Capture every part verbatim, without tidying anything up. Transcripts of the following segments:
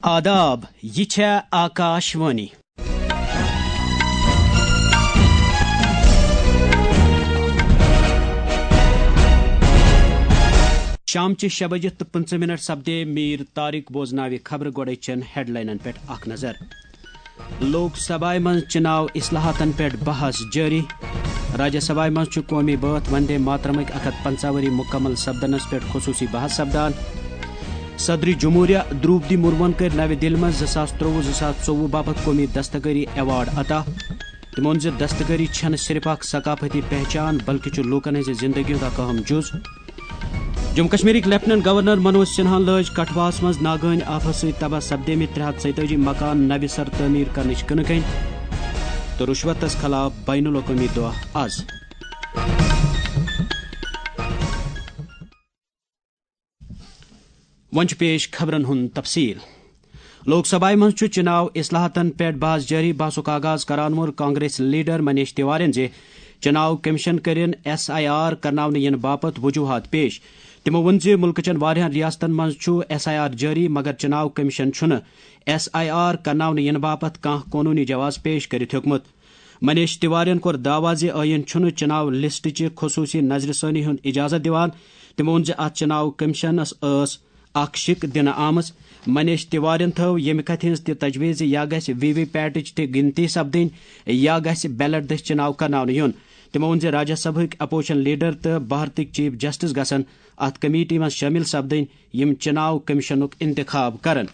آداب، یہِ چھےٚ آکاش وانی۔ شامچہِ شےٚ بجہِ تہٕ پٕنٛژٕہ منٹ سپدے۔ میٖر طارق بوزناوِ خبرٕ۔ گۄڈَے چٮ۪ن ہیڈلاینن پٮ۪ٹھ اکھ نظر۔ لوک سبھایہ منٛز چناو اصلاحاتن پٮ۪ٹھ بحث جٲری۔ راجیہ سبھایہ منٛز چھُ قومی بٲتھ وندے ماترمٕکۍ اکھ ہتھ پنژاہ ؤری مکمل سپدنس پٮ۪ٹھ خصوصی بحث سپدان۔ صدر جمہوریہ دروپدی مرموہن کٔرۍ نوِ دِلہِ منٛز زٕ ساس ترٛۆوُہ زٕ ساس ژوٚوُہ باپتھ قومی دستکٲری ایوارڈ عطا۔ تٔمۍ ووٚن زِ دستکٲری چھَنہٕ صرف اکھ ثقافتی پہچان، بلکہِ چھُ لوٗکَن ہٕنٛزِ زِندگی ہُنٛد اکھ اہم جُز۔ جموں کشمیرٕکۍ لیفٹیننٹ گورنر منوج سنہاہن لٲج کٹھواہَس منٛز ناگہٲنۍ آفہٕ سۭتۍ تباہ سپدیمٕتۍ ترٛےٚ ہتھ ژۄیتٲجی مکان نوِ سرٕ تعمیٖر کرنٕچ کٕنہٕ کٔنۍ تہٕ رُشوتَس خلاف بین الاقوٲمی دۄہ از۔ وۄنۍ چھُ پیش خبرن ہُنٛد تفصیل۔ لوک سبھایہ منٛز چھُ چناو اصلاحاتن پٮ۪ٹھ بحث جٲری۔ بحثُک آغاز کران ووٚن کانگریس لیڈر منیش تیوارین زِ چناو کمیشن کٔرِن ایس آئی آر کرناونہٕ یِنہٕ باپتھ وجوہات پیش۔ تِمو ووٚن زِ مُلکہٕ چٮ۪ن واریاہن ریاستن منٛز چھُ ایس آئی آر جٲری، مگر چناو کمیشن چھُنہٕ ایس آئی آر کرناونہٕ یِنہٕ باپتھ کانٛہہ قونوٗنی جواز پیش کٔرِتھ ہیوٚکمُت۔ منیش تیوارین کوٚر دعویٰ زِ ٲییٖن چھُنہٕ چناو لسٹٕچہِ خصوٗصی نظرِ ثٲنی ہُنٛد اجازت دِوان۔ تٔمۍ ووٚن زِ اتھ چناو کمیشنس ٲس اکھ شِک دِنہٕ آمٕژ۔ منیش تیوارین تھٲو ییٚمہِ کتھِ ہٕنٛز تہِ تجویز زِ یا گژھِ وی وی پیٹٕچ تہِ گِنتی سپدٕنۍ، یا گژھِ بیلٹ دٔسۍ چناو کرناونہٕ یُن۔ تِمو ووٚن زِ راجیہ سبھٕکۍ اپوزیشن لیڈر تہٕ بھارتٕکۍ چیف جسٹس گژھن اتھ کمیٹی منٛز شٲمِل سپدٕنۍ، یِم چناو کمیشنُک انتخاب کرن۔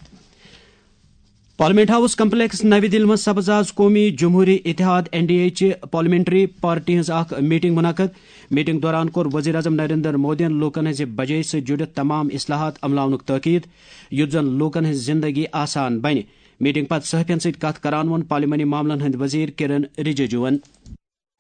پارلیمنٹ ہاؤس کمپلیکس نوِ دِلہِ منٛز سپٕز آز قومی جمہوری اتحاد، این ڈی اے، چہِ پارلیمنٹری پارٹی ہٕنٛز اکھ میٹنگ منعقد۔ میٹنگ دوران کوٚر وزیر اعظم نریندر مودیَن لوٗکَن ہٕنٛزِ بجٲیی سۭتۍ جُڑِتھ تمام اصلاحات عملاونُک تاکید، یُتھ زَن لوٗکَن ہٕنٛز زِندگی آسان بنہِ۔ میٹنگ پتہٕ صحافیَن سۭتۍ کتھ کران ووٚن پارلیمانی معاملن ہٕنٛدۍ وزیر کرن رجیجوَن۔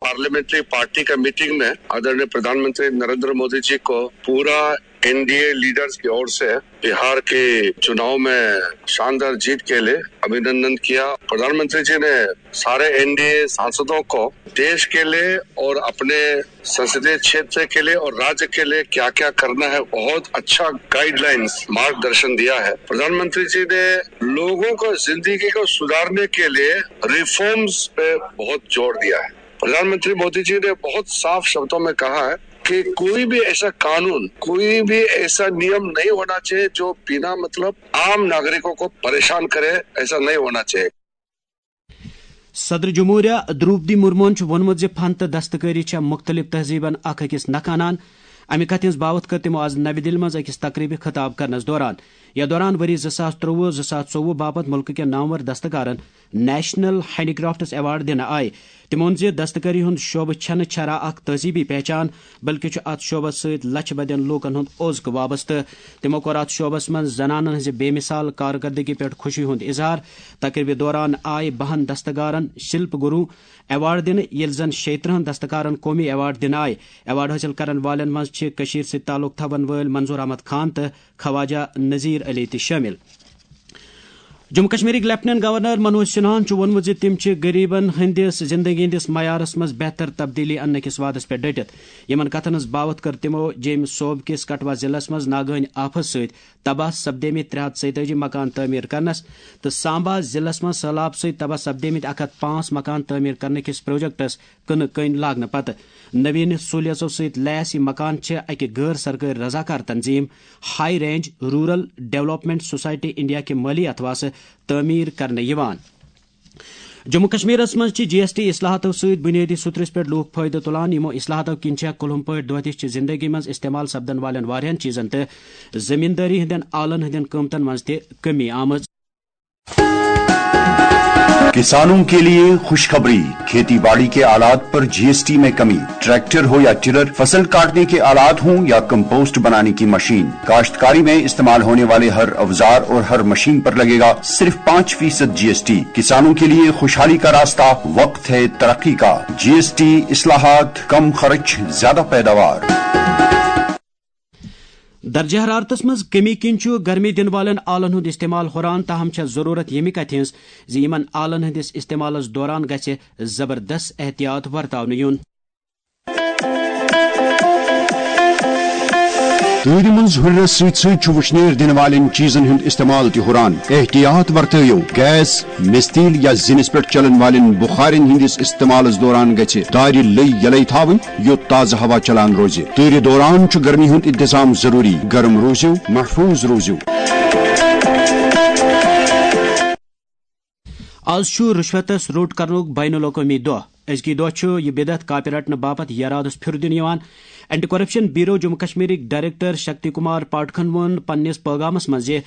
پارلیمنٹری پارٹی کا میٹنگ میں آدرنیہ پردھان منتری نریندر مودی جی کو پورا این ڈی اے لیڈرز کی اور سے بہار کے چناؤ میں شاندار جیت کے لیے ابھینندن کیا۔ پردھان منتری جی نے سارے این ڈی اے سانسدوں کو دیش کے لیے اور اپنے سنسدیہ چھیتر کے لیے اور راجیہ کے لیے کیا کیا کرنا ہے، بہت اچھا گائیڈ لائنز، مارگدرشن دیا ہے۔ پردھان منتری جی نے لوگوں کو زندگی کو سدھارنے کے لیے ریفارمز پہ بہت زور دیا ہے۔ پردھان منتری مودی جی نے بہت صاف شبدوں میں کہا ہے کہ کوئی بھی ایسا قانون، کوئی بھی ایسا نیم نہیں ہونا چاہیے جو بنا مطلب عام ناگرکوں کو پریشان کرے، ایسا نہیں ہونا چاہیے۔ صدر جمہوریہ دروپدی مرموہن چھُ ووٚنمُت زِ فن تہٕ دستکٲری چھےٚ مُختٔلِف تہذیٖبن اکھ أکِس نکھٕ انان۔ امہِ کتھِ ہٕنٛز باوتھ کٔر تِمو از نوِ دِلہِ منٛز أکِس تقریبہِ خطاب کرنس دوران۔ یتھ دوران ؤری زٕ ساس ترٛۆوُہ زٕ ساس ژوٚوُہ باپتھ مُلکہٕ کٮ۪ن نامور دستکارن نیشنل ہینڈی کرافٹس ایوارڈ دِنہٕ آیہِ۔ تِمو ووٚن زِ دستکٲری ہُنٛد شعبہٕ چھنہٕ چھرا اکھ تہذیٖبی پہچان، بلکہِ چھُ اتھ شعبس سۭتۍ لچھِ بدٮ۪ن لوٗکن ہُنٛد اوزکہٕ وابستہٕ۔ تِمو کوٚر اتھ شعبس منٛز زنانن ہٕنٛزِ بے مثال کارکردگی پٮ۪ٹھ خوشی ہُنٛد اظہار۔ تقریبہِ دوران آیہِ بہن دستکارن شلپ گرو ایوارڈ دِنہٕ، ییٚلہِ زن شیٚیہِ ترٕٛہن دستکارن قومی ایوارڈ دِنہٕ آیہِ۔ ایوارڈ حٲصِل کرن والٮ۪ن منٛز چھِ کٔشیٖر سۭتۍ تعلق تھاون وٲلۍ منظور احمد خان تہٕ خواجہ نذیر علی تہِ شٲمِل۔ جموں کشمیرٕکۍ لیفٹیننٹ گورنر منوج سنہاہن چھُ ووٚنمُت زِ تِم چھِ غریبن ہٕنٛدِس زندگی ہٕنٛدِس معیارس منٛز بہتر تبدیلی اننہٕ کِس وعدس پٮ۪ٹھ ڈٔٹِتھ۔ یِمن کتھن ہٕنٛز باوتھ کٔر تِمو جیٚمۍ صوبہٕ کِس کٹھوا ضلعس منٛز ناگہٲنۍ آفس سۭتۍ تباہ سپدیمٕتۍ ترٛےٚ ہتھ ژۄیتٲجی مکان تعمیٖر کرنس تہٕ سامبا ضلعس منٛز سٔہلاب سۭتۍ تباہ سپدیمٕتۍ اکھ ہتھ پانٛژھ مکان تعمیٖر کرنہٕ کِس پروجیکٹس کٕنہٕ کٔنۍ لاگنہٕ پتہٕ۔ نوین سہولیژو سۭتۍ لیس یہِ مکان چھِ اکہِ غٲر سرکٲرۍ رضاکار تنظیم high range rural development society India کہِ مٲلی اتھواسہٕ تعمیٖر کرنہٕ یِوان۔ جموں کشمیرس منٛز چھِ جی ایس ٹی اصلاحاتو سۭتۍ بنیٲدی سترس پٮ۪ٹھ لوٗکھ فٲیدٕ تُلان۔ یِمو اصلاحاتو کِنۍ چھےٚ کُلہُم پٲٹھۍ دۄہ دِش چہِ زندگی منٛز استعمال سپدن والٮ۪ن واریاہن چیزن تہٕ زمیندٲری ہٕنٛدٮ۪ن آلن ہٕنٛدٮ۪ن قۭمتن منٛز تہِ کمی آمٕژ۔ किसानों के लिए खुशखबरी। खेती बाड़ी के आलात पर जीएसटी में कमी। ट्रैक्टर हो या टिलर, फसल काटने के आलात हों या कंपोस्ट बनाने की मशीन, काश्तकारी में इस्तेमाल होने वाले हर औजार और हर मशीन पर लगेगा सिर्फ पाँच फीसद जीएसटी। किसानों के लिए खुशहाली का रास्ता, वक्त है तरक्की का। जीएसटी इस्लाहात, कम खर्च, ज्यादा पैदावार। درجہ حرارتس منٛز کمی کِنۍ چھُ گرمی دِنہٕ والٮ۪ن آلن ہُنٛد استعمال ہُران، تاہم چھےٚ ضروٗرت ییٚمہِ کتھِ ہٕنٛز زِ یِمن آلن ہٕنٛدِس استعمالس دوران گژھِ زبردست احتیاط ورتاونہٕ یُن۔ تۭرِ منٛز ہُرٮ۪رس سۭتۍ سۭتۍ چھُ وُشنیر دِنہٕ والٮ۪ن چیٖزن ہُنٛد استعمال تہِ ہُران۔ احتیاط ورتٲیِو، گیس، مِستیٖل یا زِنِس پٮ۪ٹھ چلن والٮ۪ن بُخارٮ۪ن ہٕنٛدِس استعمالس دوران گژھِ دارِ لٔے یلے تھاوٕنۍ، یوٚت تازٕ ہوا چلان روزِ۔ تۭرِ دوران چھُ گرمی ہُنٛد انتظام ضروٗری۔ گرم روٗزِو، محفوٗظ روٗزِو۔ آز چھُ رُشوتس روٚٹ کرنُک بین الاقوٲمی دۄہ۔ أزکی دۄہ چھُ یہِ بدعت کاپہِ رٹنہٕ باپتھ یرادس پھِرٕ دِنہٕ یِوان۔ اینٹی کرپشن بیورو جموں کشمیرٕکۍ ڈائریکٹر شکتی کمار پاٹھکن ووٚن پننِس پٲغامس منٛز زِ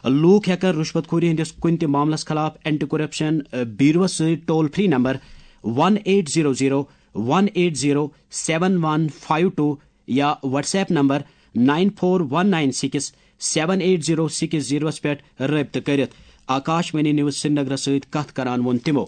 لوٗکھ ہٮ۪کن رُشوت خوری ہٕنٛدِس کُنہِ تہِ معاملس خلاف اینٹی کرپشن بیوروس سۭتۍ toll free number one eight zero zero one eight zero seven one five two یا WhatsApp number nine four one nine six seven eight zero six زیٖروس پٮ۪ٹھ رٲبطہٕ کٔرِتھ۔ آکاش وانی نیوز سرینگرس سۭتۍ کتھ کران ووٚن تِمو۔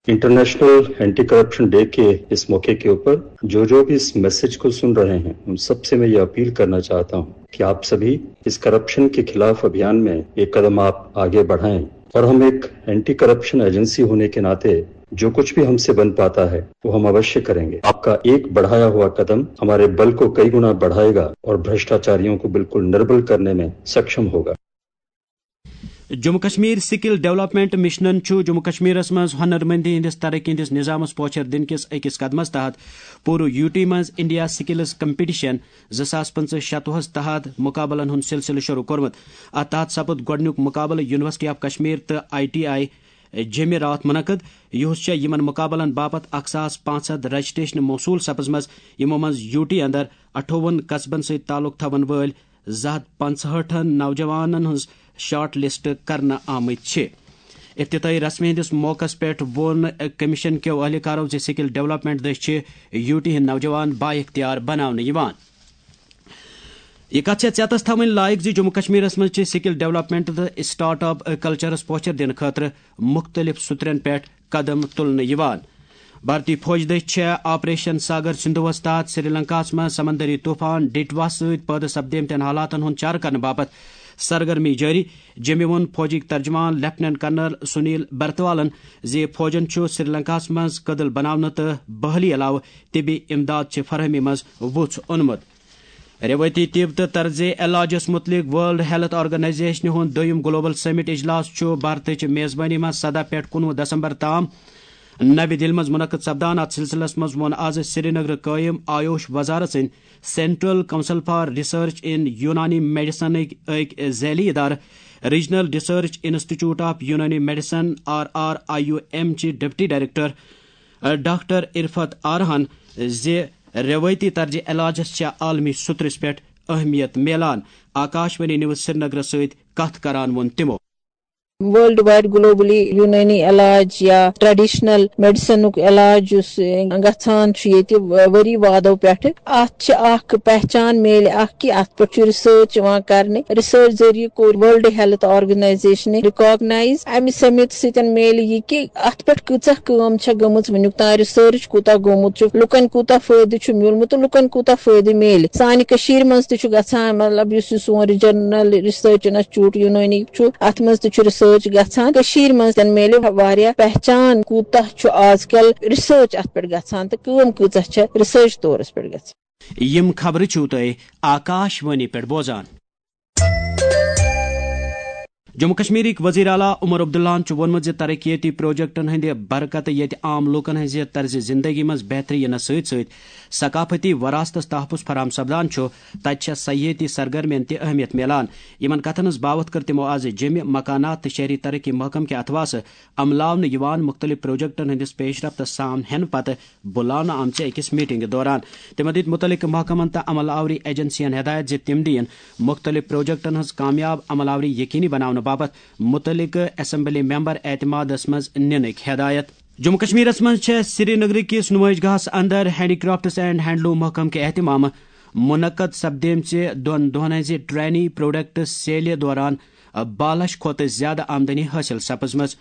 इंटरनेशनल एंटी करप्शन डे के इस मौके के ऊपर जो जो भी इस मैसेज को सुन रहे हैं, उन सबसे मैं ये अपील करना चाहता हूं कि आप सभी इस करप्शन के खिलाफ अभियान में एक कदम आप आगे बढ़ाएं और हम एक एंटी करप्शन एजेंसी होने के नाते जो कुछ भी हमसे बन पाता है, वो हम अवश्य करेंगे। आपका एक बढ़ाया हुआ कदम हमारे बल को कई गुना बढ़ाएगा और भ्रष्टाचारियों को बिल्कुल निर्मूल करने में सक्षम होगा। جموں کشمیر سکل ڈیولپمنٹ مشنن چھُ جموں کشمیرس منٛز ہنرمندی ہٕنٛدِس ترقی ہٕنٛدِس نظامس پوچھر دِنہٕ کِس أکِس قدمس تحت پوٗرٕ یوٗ ٹی منٛز انڈیا سکلز کمپٹیشن زٕ ساس پٕنٛژٕہ شتوُہس تحت مقابلن ہُنٛد سلسلہٕ شروع کوٚرمُت۔ اتھ تحت سپُد گۄڈٕنیُک مقابلہٕ یونیورسٹی آف کشمیر تہٕ آئی ٹی آئی جیٚمہِ راتھ منعقد، یُہُس چھےٚ یِمن مقابلن باپتھ اکھ ساس پانٛژھ ہتھ رجسٹریشن موصول سپٕزمٕژ، یِمو منٛز یوٗ ٹی اندر اَٹھووُہن قصبن سۭتۍ تعلق تھاون وٲلۍ زٕ ہتھ پنٛژہٲٹھن نوجوانن ہٕنٛز شارٹ لسٹ کرنہٕ آمٕتۍ چھِ۔ افتتاحی رسمہِ ہٕنٛدِس موقعس پٮ۪ٹھ ووٚن کمیشن کیو اہلکارو زِ سکل ڈیولپمنٹ دٔسۍ چھِ یوٗ ٹی ہٕنٛدۍ نوجوان با اختیار بناونہٕ یِوان۔ یہِ کتھ چھےٚ ژیتس تھاوٕنۍ لایق زِ جموں کشمیرس منٛز چھِ سکل ڈیولپمنٹ تہٕ اسٹارٹ اپ کلچرس پوچھر دِنہٕ خٲطرٕ مُختٔلِف سترن پٮ۪ٹھ قدم تُلنہٕ یِوان۔ بھارتی فوج دٔسۍ چھےٚ آپریشن ساگر سندھوس تحت سری لنکاہس منٛز سمندری طوفان ڈیٹوا سۭتۍ پٲدٕ سپدیمتٮ۪ن حالاتن ہُنٛد چارٕ کرنہٕ باپتھ سرگرمی جٲری۔ جیٚمہِ ووٚن فوجٕکۍ ترجمان لیفٹیننٹ کرنل سنیل برتوالن زِ فوجن چھُ سری لنکاہس منٛز کٔدٕل بناونہٕ تہٕ بحالی علاوٕ طبی امداد چہِ فراہمی منٛز وُژھ اوٚنمُت۔ روایتی طب تہٕ طرز علاجس متعلق ورلڈ ہیلتھ آرگنائزیشنہِ ہُنٛد دوٚیُم گلوبل سمٹ اجلاس چھُ بھارتٕچ میزبٲنی منٛز سداہ پٮ۪ٹھ کُنوُہ دسمبر تام نَوِ دِلہِ منٛز منعقد سپدان۔ اتھ سلسلس منٛز ووٚن آز سرینگرٕ قٲیِم آیوش وزارت سٕنٛدۍ central council for research in Unani میڈیسنٕکۍ أکۍ ذیلی ادارٕ، regional research institute of Unani medicine, R R I U M چہِ ڈپٹی ڈائریکٹر، ڈاکٹر عرفت آرہن، زِ روایتی طرز علاجس چھےٚ عالمی سطرس پٮ۪ٹھ اہمیت میلان۔ آکاش وانی نیوز سرینگرس سۭتۍ کتھ کران ووٚن تِمو۔ ورلڈ وائڈ گلوبلی یونانی علاج یا ٹریڈیشنل میڈیسنُک علاج یُس گژھان چھُ ییٚتہِ ؤری وادو پٮ۪ٹھٕ، اتھ چھِ اکھ پہچان میلہِ اکھ کہِ اتھ پٮ۪ٹھ چھُ ریسرچ یِوان کرنہٕ۔ ریسرچ ذٔریعہٕ کوٚر ورلڈ ہیلتھ آرگنائزیشنہِ ریکاگنائز۔ امہِ سمت سۭتۍ میلہِ یہِ کہِ اتھ پٮ۪ٹھ کۭژاہ کٲم چھےٚ گٔمٕژ وُنیُک تام، ریسرچ کوٗتاہ گوٚمُت چھُ، لُکن کوٗتاہ فٲیدٕ چھُ میوٗلمُت تہٕ لُکن کوٗتاہ فٲیدٕ میلہِ۔ سانہِ کٔشیٖرِ منٛز تہِ چھُ گژھان، مطلب، یُس یہِ سون ریجنل ریسرچ انسٹیٹیوٹ یونٲنی چھُ، اتھ منٛز تہِ چھُ ریسرچ گژھان۔ کٔشیٖرِ منٛز تہِ میلہِ واریاہ پہچان کوٗتاہ چھُ آز کل ریسرچ اتھ پٮ۪ٹھ گژھان تہٕ کٲم کۭژاہ چھےٚ ریسرچ طورس پٮ۪ٹھ گژھان۔ یِم خبرٕ چھِو تُہۍ آکاش وانی پٮ۪ٹھ بوزان۔ جموں کشمیرٕکۍ وزیر اعلیٰ عمر عبداللہَن چھُ ووٚنمُت زِ ترقیتی پروجیکٹن ہٕنٛدِ برکتہٕ ییٚتہِ عام لوٗکن ہٕنٛزِ طرزِ زندگی منٛز بہتری یِنس سۭتۍ سۭتۍ ثقافتی وراثتس تحفظ فراہم سپدان چھُ، تتہِ چھےٚ سیاحتی سرگرمین تہِ اہمیت میلان۔ یِمن کتھن ہٕنٛز باوتھ کٔر تِمو آز جیٚمہِ، مکانات تہٕ شہری ترقی محکمہٕ کہِ اتھواسہٕ عملاونہٕ یِوان مُختٔلِف پروجیکٹن ہٕنٛدِس پیش رفتس سان ہٮ۪نہٕ پتہٕ بُلاونہٕ آمژِ أکِس میٹنگہِ دوران۔ تِمو دِتۍ مُتعلقہٕ محکمن تہٕ عمل آوری ایجنسین ہدایت زِ تِم دِیِن مُختٔلِف پروجیکٹن ہٕنٛز کامیاب عمل آوری یقینی بناونہٕ باپتھ مُتعلقہٕ اسمبلی ممبر اعتمادس منٛز نِنٕکۍ ہدایت۔ جموں کشمیرس منٛز چھےٚ سری نگر کِس نمائش گاہس اندر ہینڈی کرافٹس اینڈ ہینڈلوم محکمہٕ کہِ اہتمامہٕ منعقد سپدیمژِ دۄن دۄہن ہٕنٛزِ ٹرینی پروڈکٹس سیلہِ دوران باہ لچھ کھۄتہٕ زیادٕ آمدنی حٲصِل سپٕزمٕژ۔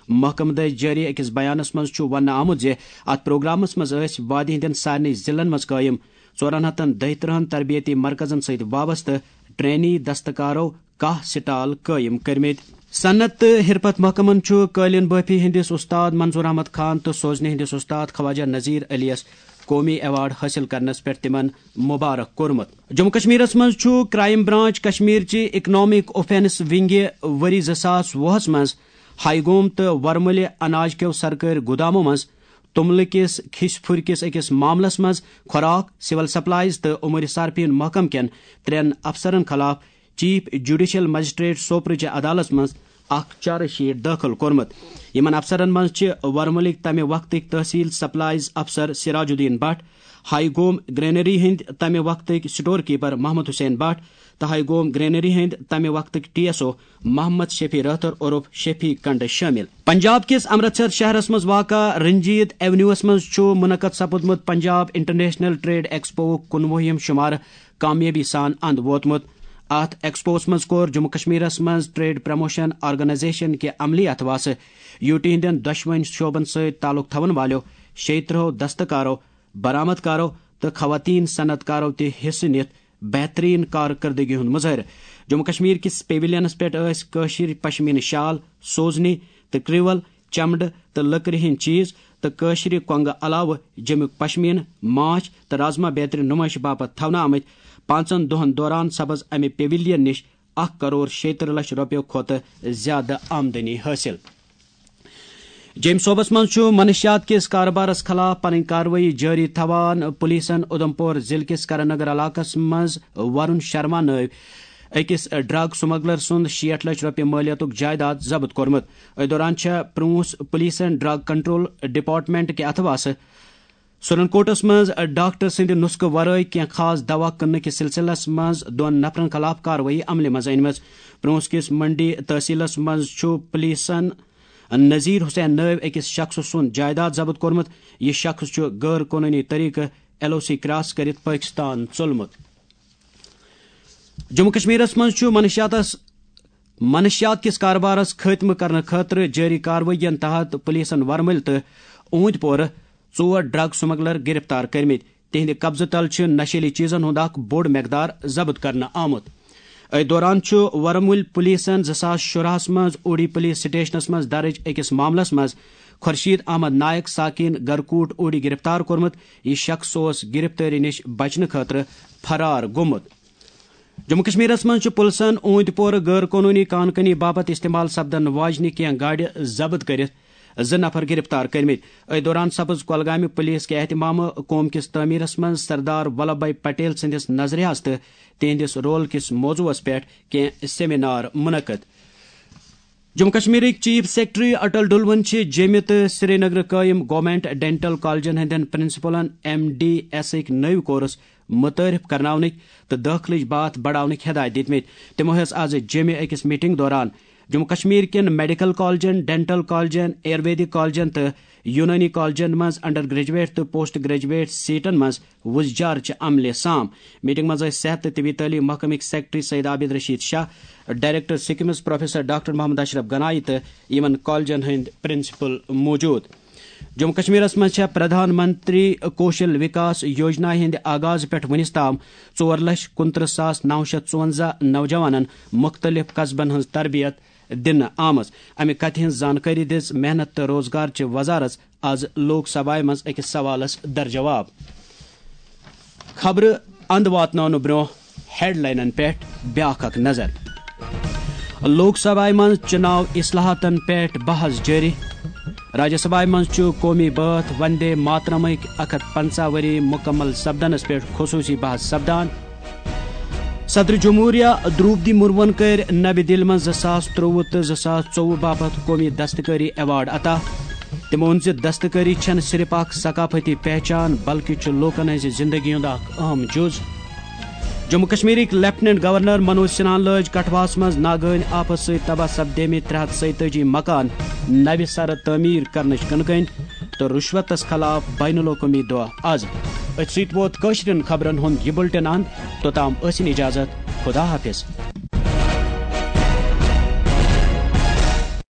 محکمہٕ دٔسۍ جٲری أکِس بیانَس منٛز چھُ وننہٕ آمُت زِ اَتھ پروگرامَس منٛز ٲسۍ وادی ہٕنٛدٮ۪ن سارنٕے ضلعن منٛز قٲیِم ژورَن ہَتَن دۄیہِ ترٕٛہَن تربیتی مرکزَن سۭتۍ وابستہٕ ٹرینی دستکارو کاہ سٹال قٲیِم کٔرمٕتۍ۔ صنعت تہٕ حرفت محکمَن چھُ قٲلیٖن بٲفی ہٕنٛدِس اُستاد منظور احمد خان تہٕ سوزنہِ ہٕنٛدِس اُستاد خواجہ نذیر علیَس قومی ایوارڈ حٲصِل کرنس پٮ۪ٹھ تِمن مبارک کوٚرمُت۔ جموں کشمیرس منٛز چھُ کرائم برانچ کشمیر چہِ اکنامک اوفینس ونگہِ ؤری زٕ ساس وُہس منٛز ہائی گوم تہٕ ورمُلہِ اناج کیو سرکٲرۍ گُدامو منٛز توٚملہٕ کِس کھِسۍ پھُرِ کِس أکِس معاملس منٛز خوراک، سول سپلائز تہٕ امور صارفین محکمہٕ کٮ۪ن ترٛٮ۪ن افسرن خلاف چیف جوڈیشل مجسٹریٹ سوپرٕچہِ عدالتس منٛز اکھ چارج شیٹ دٲخل کوٚرمُت۔ یِمن افسرن منٛز چھِ ورمُلٕکۍ تمہِ وقتٕکۍ تحصیل سپلائز افسر سراج الدین بٹ، ہائی گوم گرینری ہٕنٛدۍ تمہِ وقتٕکۍ سٹور کیپر محمد حسین بٹ تہٕ ہائی گوم گرینری ہٕنٛدۍ تمہِ وقتٕکۍ T S O Mohammad Shafi Rather عرف شفیع کنڈ شٲمِل۔ پنجاب کِس امرتسر شہرس منٛز واقع رنجیت ایونیوس منٛز چھُ منعقد سپُدمُت پنجاب انٹرنیشنل ٹریڈ ایکسپوُک کُنوُہِم شمارٕ کامیٲبی سان اند ووتمُت۔ اتھ ایکسپوس منٛز کوٚر جموں کشمیرس منٛز ٹریڈ پروموشن آرگنائزیشن کہِ عملی اتھواسہٕ یوٗ ٹی ہٕنٛدٮ۪ن دۄشوٕنۍ شعبن سۭتۍ تعلق تھاون والٮ۪و شیٚیہِ ترٕٛہو دستکارو، برآمد کارو تہٕ خواتین صنعت کارو تہِ حصہٕ نِتھ بہترین کارکردگی ہُنٛد مظٲہرٕ۔ جموں کشمیر کِس پیویلینس پٮ۪ٹھ ٲسۍ کٲشِر پشمینہٕ شال، سوزنی تہٕ کرٛیول، چمڑٕ تہٕ لٔکرِ ہٕنٛدۍ چیٖز تہٕ کٲشرِ کۄنٛگہٕ علاوٕ جیٚمیُک پشمیٖنہٕ، ماچھ تہٕ رازما بیترِ نُمٲیشہِ باپتھ تھاونہٕ آمٕتۍ۔ پانٛژن دۄہن دوران سپٕز امہِ پیویلین نِش اکھ کرور شیٚیہِ ترٕٛہ لچھ رۄپیو کھۄتہٕ زیادٕ آمدنی حٲصِل۔ جیٚمۍ صوبس منٛز چھُ منشیات کِس کارٕبارس خلاف پنٕنۍ کاروٲیی جٲری تھاوان۔ پولیسن اُدھمپور ضلعہٕ کِس کرن نگر علاقس منٛز ورُن شرما نٲوۍ أکِس ڈرگ سمگلر سُنٛد شیٹھ لچھ رۄپیہِ مٲلیتُک جائیداد ضبط کوٚرمُت۔ أتھۍ دوران چھےٚ پرونس پولیسن ڈرگ کنٹرول ڈپارٹمنٹ کہِ اتھواسہٕ سورن کوٹس منٛز ڈاکٹر سٕنٛدِ نسخہٕ ورٲے کینٛہہ خاص دوا کٕننہٕ کِس سلسلس منٛز دۄن نفرن خلاف کاروٲیی عملہِ منٛز أنمٕژ۔ پرونس کِس منڈی تحصیلس منٛز چھُ پولیسن نذیر حسین نٲوۍ أکِس شخصہٕ سُنٛد جائیداد ضبط کوٚرمُت۔ یہِ شخص چھُ غٲر قونوٗنی طریقہٕ ایل او سی کراس کٔرِتھ پٲکستان ژوٚلمُت۔ جموں کشمیرس منٛز چھُ منشیاتس منشیات کِس کارٕبارس خٲتمہٕ کرنہٕ خٲطرٕ جٲری کاروٲیین تحت پولیسن ورمُلۍ تہٕ اوٗنتۍ پورٕ ژور ڈرگ سمگلر گرفتار کٔرمٕتۍ۔ تِہنٛدِ قبضہٕ تل چھِ نشیلی چیزن ہُنٛد اکھ بوٚڑ مقدار ضبط کرنہٕ آمُت۔ أتھۍ دوران چھُ ورمُلۍ پولیسن زٕ ساس شُراہس منٛز اوڈی پولیس سٹیشنس منٛز درٕج أکِس معاملس منٛز خورشید احمد نائک ساکین گرکوٹ اوڈی گرفتار کوٚرمُت۔ یہِ شخص اوس گرفتٲری نِش بچنہٕ خٲطرٕ فرار گوٚمُت۔ جموں کشمیرس منٛز چھُ پُلسن اوٗنتۍ پورٕ غٲر قونوٗنی کان کنی باپتھ استعمال سپدن واجنہِ کینٛہہ گاڑِ ضبط کٔرِتھ زٕ نفر گرفتار کٔرمٕتۍ۔ أتھۍ دوران سپٕز کۄلگامہِ پُلیس کہِ اہتمامہٕ قوم کِس تعمیرس منٛز سردار ولبھ بھائی پٹیل سٕنٛدِس نظریہس تہٕ تِہنٛدِس رول کِس موضوعس پٮ۪ٹھ کینٛہہ سیمینار منعقد۔ جموں کشمیرٕکۍ چیف سیکرٹری اٹل ڈلون چھِ جیٚمہِ تہٕ سرینگرٕ قٲیِم گورنمنٹ ڈینٹل کالجن ہٕنٛدٮ۪ن پرنسپلن ایم ڈی ایسٕکۍ نٔوۍ کورس متعارف کرناونٕکۍ تہٕ دٲخلٕچ باتھ بڑاونٕکۍ ہدایت دِتمٕتۍ۔ تِمو ہیٚژ آز جیٚمہِ أکِس میٹنگ دوران جموں کشمیر کٮ۪ن میڈیکل کالجن، ڈینٹل کالجن، آیورویدک کالجن تہٕ یونٲنی کالجن منٛز انڈر گریجویٹ تہٕ پوسٹ گریجویٹ سیٹن منٛز وُزجار چہِ عملہِ سام۔ میٹنگ منٛز ٲسۍ صحت تہٕ طبی تعلیٖم محکمٕکۍ secretary Syed Abid Rashid Shah, director SKIMS professor doctor Mohammad Ashraf Ganai تہٕ یِمن کالجن ہٕنٛدۍ پرنسپل موجود۔ جموں کشمیرس منٛز چھےٚ پردھان منتری کوشل وکاس یوجنا ہٕنٛدِ آغاز پٮ۪ٹھ وُنِس تام ژور لچھ کُنترٕہ ساس نو شیٚتھ ژُونزہ نوجوانن مُختٔلِف قصبن ہٕنٛز تربیت دِنہٕ آمٕژ۔ امہِ کتھِ ہٕنٛز زانکٲری دِژ محنت تہٕ روزگار چہِ وزارت آز لوک سبھایہ منٛز أکِس سوالس درجواب۔ خبرٕ اند واتناونہٕ برونٛہہ ہیڈلاینن پٮ۪ٹھ بیاکھ اکھ نظر۔ لوک سبھایہ منٛز چُناو اصلاحاتن پٮ۪ٹھ بحث جٲری۔ راجیہ سبھایہ منٛز چھُ قومی بٲتھ وندے ماترمٕکۍ اکھ ہتھ پنژاہ ؤری مکمل سپدنس پٮ۪ٹھ خصوصی بحث سپدان۔ صدر جمہوریہ دروپدی مرمون کٔرۍ نوِ دِلہِ منٛز زٕ ساس ترٛۆوُہ تہٕ زٕ ساس ژوٚوُہ باپتھ قومی دستکٲری ایوارڈ عطا۔ تٔمۍ ووٚن زِ دستکٲری چھَنہٕ صرف اکھ ثقافتی پہچان، بلکہِ چھُ لوٗکَن ہٕنٛزِ زِندگی ہُنٛد اکھ اہم جُز۔ جموں کشمیرٕکۍ لیفٹیننٹ گورنر منوج سنہاہَن لٲج کٹھواہَس منٛز ناگہٲنۍ آفت سۭتۍ تباہ سپدیمٕتۍ ترٛےٚ ہتھ ژۄیتٲجی مکان نوِ سرٕ تعمیٖر کرنٕچ کٕنہٕ کٔنۍ تہٕ رُشوتَس خلاف بین الاقوٲمی دۄہ از۔ أتھۍ سۭتۍ ووت کٲشرٮ۪ن خبرن ہُنٛد یہِ بُلٹن اند۔ توٚتام ٲسِن اجازت، خدا حافظ۔